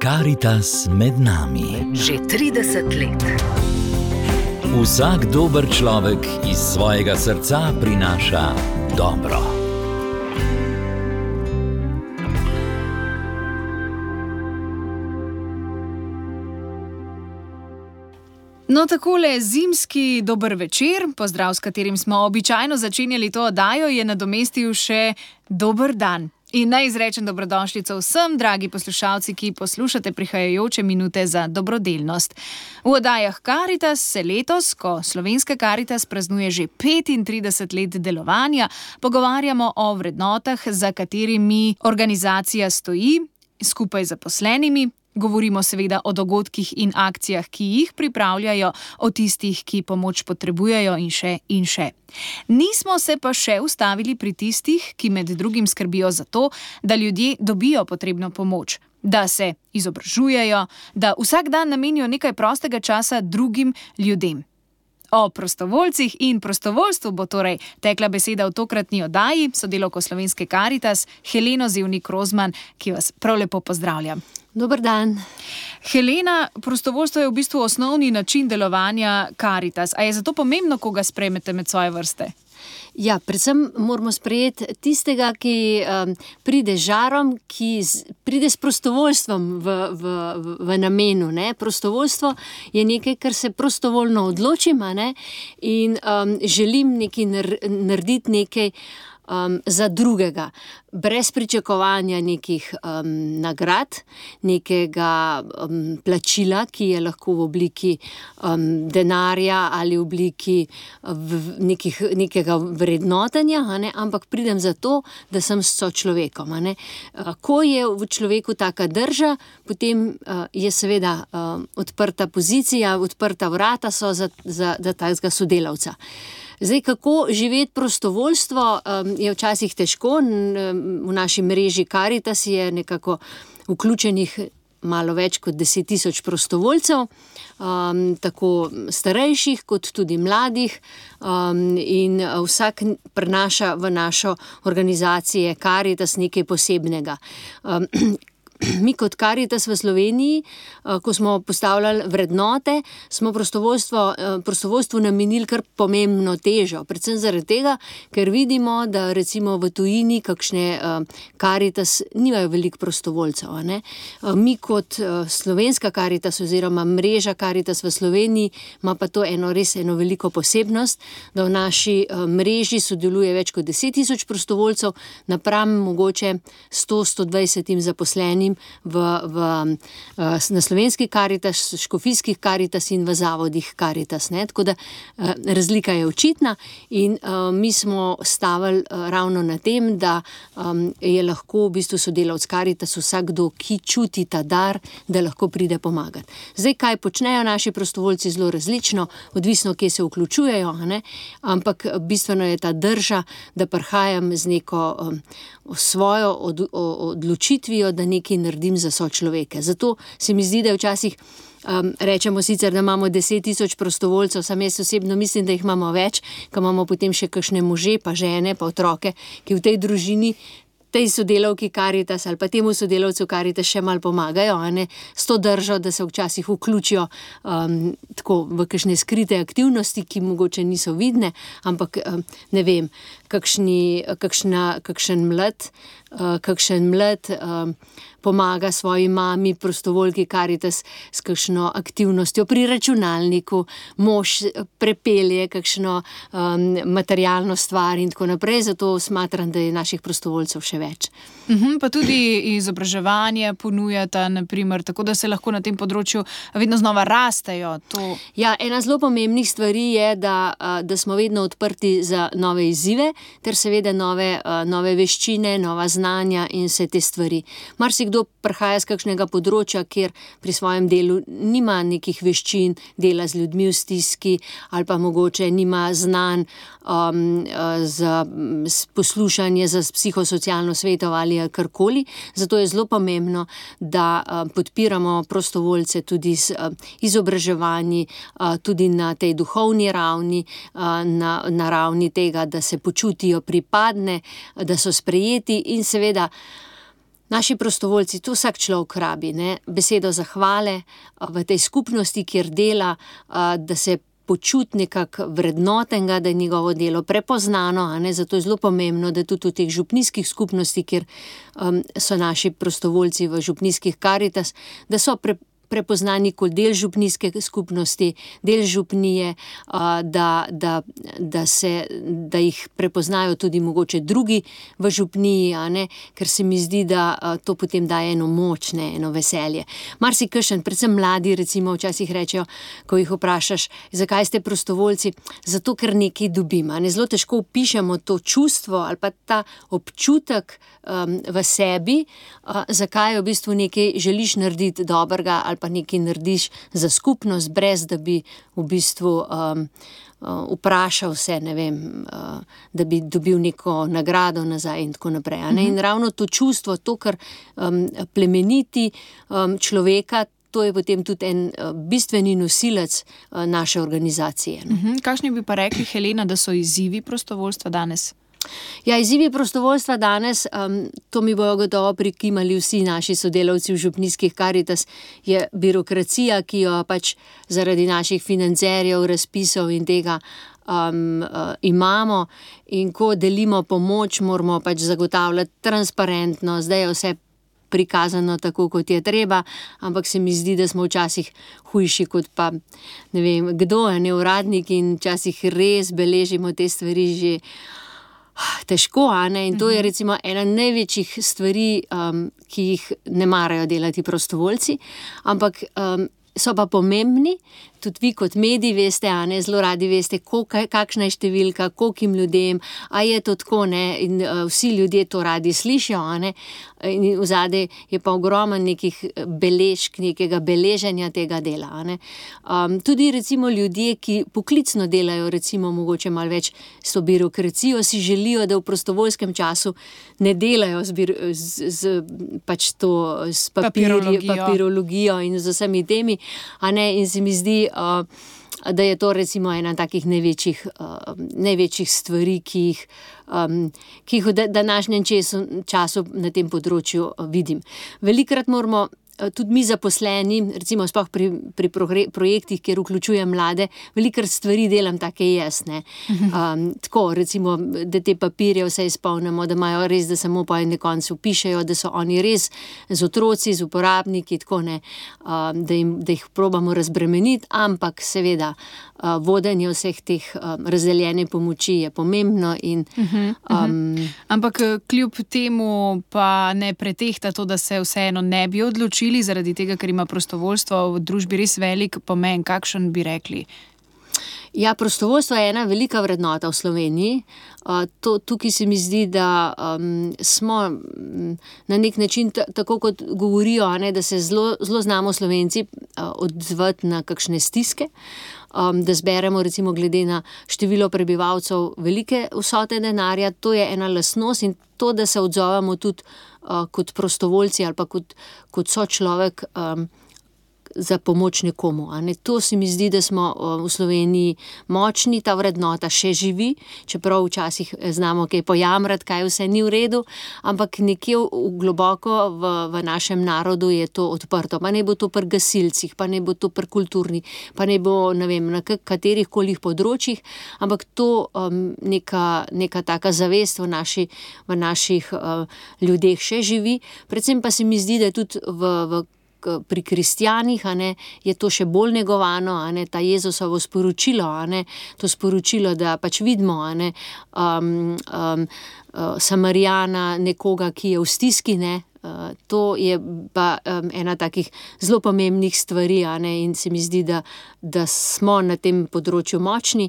Karitas med nami. Že 30 let. Vsak dober človek iz svojega srca prinaša dobro. No, takole zimski dober večer, pozdrav, s katerim smo običajno začenjali to oddajo, je nadomestil še dober dan. In naj izrečem dobrodošlico vsem, dragi poslušalci, ki poslušate prihajajoče minute za dobrodelnost. V oddajah Karitas se letos, ko Slovenska Karitas praznuje že 35 let delovanja, pogovarjamo o vrednotah, za katerimi organizacija stoji, skupaj z zaposlenimi. Govorimo seveda o dogodkih in akcijah, ki jih pripravljajo, o tistih, ki pomoč potrebujejo in še in še. Nismo se pa še ustavili pri tistih, ki med drugim skrbijo za to, da ljudje dobijo potrebno pomoč, da se izobražujejo, da vsak dan namenijo nekaj prostega časa drugim ljudem. O prostovoljcih in prostovoljstvu bo torej tekla beseda v tokratni oddaji, sodelavko Slovenske Karitas, Heleno Zevnik-Rozman, ki vas prav lepo pozdravljam. Dober dan. Helena, prostovoljstvo je v bistvu osnovni način delovanja Karitas. A je zato pomembno, koga sprejmete med svoje vrste? Ja, predvsem moramo sprejeti tistega, ki pride z žarom, ki pride s prostovoljstvom v namenu. Ne? Prostovoljstvo je nekaj, kar se prostovoljno odločim, in želim narediti nekaj za drugega, brez pričakovanja nekih nagrad, nekega plačila, ki je lahko v obliki denarja ali v obliki nekega vrednotenja, ampak pridem zato, da sem s sočlovekom. Ko je v človeku taka drža, potem je seveda odprta pozicija, odprta vrata so za takega sodelavca. Zdaj, kako živeti prostovoljstvo, je včasih težko. V naši mreži Karitas je nekako vključenih malo več kot 10 000 prostovoljcev, tako starejših kot tudi mladih, in vsak prinaša v našo organizacijo Karitas nekaj posebnega. Mi kot Karitas v Sloveniji, ko smo postavljali vrednote, smo prostovoljstvu namenili kar pomembno težo. Predvsem zaradi tega, ker vidimo, da recimo v tujini kakšne Karitas nimajo veliko prostovoljcev. Mi kot Slovenska Karitas oziroma mreža Karitas v Sloveniji ima pa to res eno veliko posebnost, da v naši mreži sodeluje več kot 10 000 prostovoljcev, napram mogoče 100-120 zaposlenim na Slovenski Karitas, škofijskih Karitas in v zavodih Karitas. Tako da razlika je očitna in mi smo stavili ravno na tem, da je lahko v bistvu sodelavec Karitas vsakdo, ki čuti ta dar, da lahko pride pomagati. Zdaj, kaj počnejo naši prostovoljci, zelo različno, odvisno, kje se vključujejo, ampak bistveno je ta drža, da prihajam z neko svojo odločitvijo, da nekaj naredim za sočloveke. Zato se mi zdi, da včasih rečemo sicer, da imamo 10 000 prostovoljcev, sam jaz osebno mislim, da jih imamo več, ko imamo potem še kakšne može, pa žene, pa otroke, ki v tej družini, tej sodelavki Karitas ali pa temu sodelavcu Karitas še malo pomagajo, s to držo, da se včasih vključijo tako v kakšne skrite aktivnosti, ki mogoče niso vidne, ampak ne vem, kakšen mlad pomaga svoji mami, prostovoljki Karitas, s kakšno aktivnostjo pri računalniku, mož prepelje kakšno materialno stvar in tako naprej, zato smatram, da je naših prostovoljcev še več. Pa tudi izobraževanje ponujata, naprimer, tako da se lahko na tem področju vedno znova rastejo. Ja, ena zelo pomembnih stvari je, da smo vedno odprti za nove izzive, ter seveda nove veščine, nova znanja in vse te stvari. Marsikdo prihaja z kakšnega področja, kjer pri svojem delu nima nekih veščin, dela z ljudmi v stiski ali pa mogoče nima znanj za poslušanje, za psihosocialno svetovanje ali karkoli. Zato je zelo pomembno, da podpiramo prostovoljce tudi z izobraževanji, tudi na tej duhovni ravni, na ravni tega, da se počutijo pripadne, da so sprejeti in seveda naši prostovoljci, to vsak človek rabi, ne? Besedo zahvale v tej skupnosti, kjer dela, da se počuti nekako vrednotenega, da je njegovo delo prepoznano, a ne? Zato je zelo pomembno, da tudi v teh župnijskih skupnosti, kjer so naši prostovoljci v župnijskih Karitas, da so prepoznani kot del župnijske skupnosti, del župnije, da jih prepoznajo tudi mogoče drugi v župniji, a ne, ker se mi zdi, da to potem daje eno moč, ne, eno veselje. Marsikakšen, predvsem mladi recimo včasih rečejo, ko jih vprašaš, zakaj ste prostovoljci, zato ker nekaj dobim, a ne, zelo težko opišemo to čustvo ali pa ta občutek v sebi, zakaj v bistvu nekaj želiš narediti dobrega ali pa nekaj narediš za skupnost, brez da bi v bistvu vprašal se, ne vem, da bi dobil neko nagrado nazaj in tako naprej. A ne? In ravno to čustvo, to, kar plemeniti človeka, to je potem tudi en bistveni nosilec naše organizacije. Kakšni bi pa rekli, Helena, da so izzivi prostovoljstva danes? Ja, izzivi prostovoljstva danes, to mi bojo gotovo prikimali vsi naši sodelavci v župnijskih Karitas, je birokracija, ki jo pač zaradi naših financerjev, razpisov in tega imamo, in ko delimo pomoč, moramo pač zagotavljati transparentnost, da je vse prikazano tako, kot je treba, ampak se mi zdi, da smo včasih hujši kot pa, ne vem, kdo je neuradnik in včasih res beležimo te stvari že težko, a ne, in to je recimo ena največjih stvari, ki jih ne marajo delati prostovoljci, ampak so pa pomembni, tudi vi kot mediji veste, a ne, zelo radi veste, kakšna je številka, kolikim ljudem, a je to tako, ne, in vsi ljudje to radi slišijo, a ne, in vzadej je pa ogromno nekih beležk, nekega beleženja tega dela, a ne. Tudi recimo ljudje, ki poklicno delajo, recimo mogoče malo več s to birokracijo, si želijo, da v prostovoljskem času ne delajo pač to, s papirologijo in z vsemi temi, a ne, in se mi zdi, da je to recimo ena takih največjih stvari, ki jih v današnjem času na tem področju vidim. Velikokrat moramo tudi mi zaposleni, recimo sploh pri projektih, kjer vključujem mlade, velikokrat stvari delam take jaz, ne. Tako, recimo, da te papirje vse izpolnimo, da imajo res, da samo po na koncu pišejo, da so oni res z otroci, z uporabniki, tako, ne, da jih probamo razbremeniti, ampak seveda vodenje vseh teh razdeljene pomoči je pomembno in ampak kljub temu pa ne pretehta to, da se vseeno ne bi odločili, zaradi tega, ker ima prostovoljstvo v družbi res velik pomen. Kakšen bi rekli? Ja, prostovoljstvo je ena velika vrednota v Sloveniji. Tukaj se mi zdi, da smo na nek način, tako kot govorijo, a ne, da se zelo znamo Slovenci odzvati na kakšne stiske, da zberemo recimo glede na število prebivalcev velike vsote denarja, to je ena lastnost, in to, da se odzovemo tudi kot prostovoljci ali pa kot sočlovek za pomoč nekomu, a ne. To se mi zdi, da smo v Sloveniji močni, ta vrednota še živi, čeprav včasih znamo kaj pojamrati, kaj vse ni v redu, ampak nekje globoko v našem narodu je to odprto, pa naj bo to pri gasilcih, pa naj bo to pri kulturni, pa naj bo, ne vem, na katerih kolih področjih, ampak to neka taka zavest v naših ljudeh še živi, predvsem pa se mi zdi, da je tudi pri kristjanih, a ne, je to še bolj negovano, a ne, ta Jezusovo sporočilo, a ne, to sporočilo, da pač vidimo, a ne, Samarijana, nekoga, ki je v stiski, ne, to je pa ena takih zelo pomembnih stvari, a ne, in se mi zdi, da smo na tem področju močni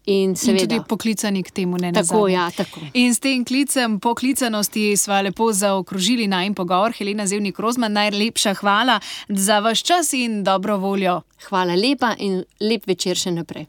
in seveda. In tudi poklicani k temu, ne nazadnje. Tako, ja, tako. In s tem klicem poklicanosti sva lepo zaokrožili najin pogovor. Helena Zevnik Rozman, najlepša hvala za vaš čas in dobro voljo. Hvala lepa in lep večer še naprej.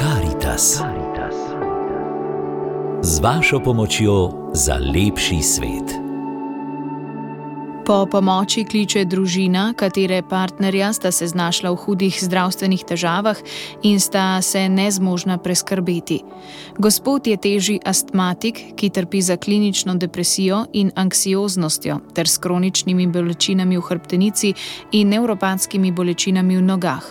Karitas. Z vašo pomočjo za lepši svet. Po pomoči kliče družina, katere partnerja sta se znašla v hudih zdravstvenih težavah in sta se nezmožna preskrbeti. Gospod je težji astmatik, ki trpi za klinično depresijo in anksioznostjo ter s kroničnimi bolečinami v hrbtenici in nevropatskimi bolečinami v nogah.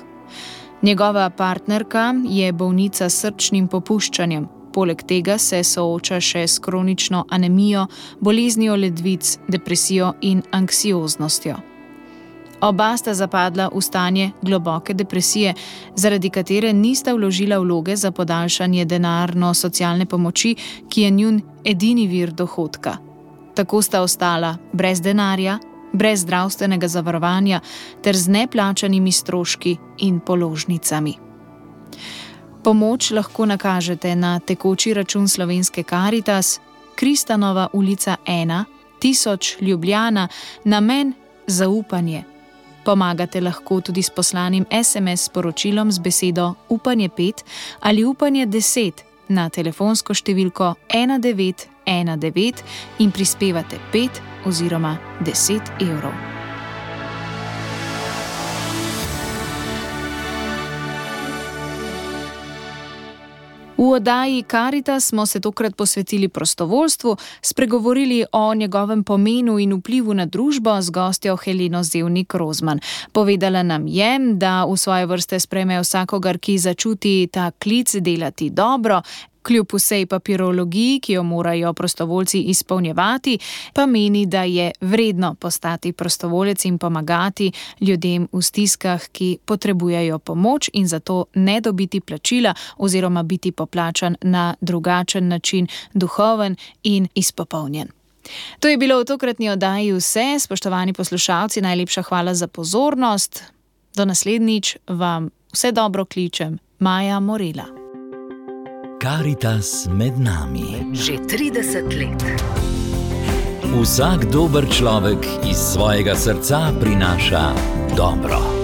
Njegova partnerka je bolnica s srčnim popuščanjem. Poleg tega se sooča še s kronično anemijo, boleznijo ledvic, depresijo in anksioznostjo. Oba sta zapadla v stanje globoke depresije, zaradi katere nista vložila vloge za podaljšanje denarno-socialne pomoči, ki je njun edini vir dohodka. Tako sta ostala brez denarja, brez zdravstvenega zavarovanja ter z neplačanimi stroški in položnicami. Pomoč lahko nakažete na tekoči račun Slovenske Karitas, Kristanova ulica 1, 1000 Ljubljana, namen zaupanje. Pomagate lahko tudi s poslanim SMS sporočilom z besedo Upanje 5 ali Upanje 10 na telefonsko številko 1919 in prispevate 5 oziroma 10 evrov. V oddaji Karitas smo se tokrat posvetili prostovoljstvu, spregovorili o njegovem pomenu in vplivu na družbo z gostjo Heleno Zevnik Rozman. Povedala nam je, da v svoje vrste sprejme vsakogar, ki začuti ta klic delati dobro, kljub vsej papirologiji, ki jo morajo prostovoljci izpolnjevati, pa meni, da je vredno postati prostovoljec in pomagati ljudem v stiskah, ki potrebujejo pomoč in zato ne dobiti plačila oziroma biti poplačan na drugačen način, duhoven in izpopolnjen. To je bilo v tokratni oddaji vse. Spoštovani poslušalci, najlepša hvala za pozornost. Do naslednjič vam vse dobro kličem. Maja Morela. Karitas med nami. Že 30 let. Vsak dober človek iz svojega srca prinaša dobro.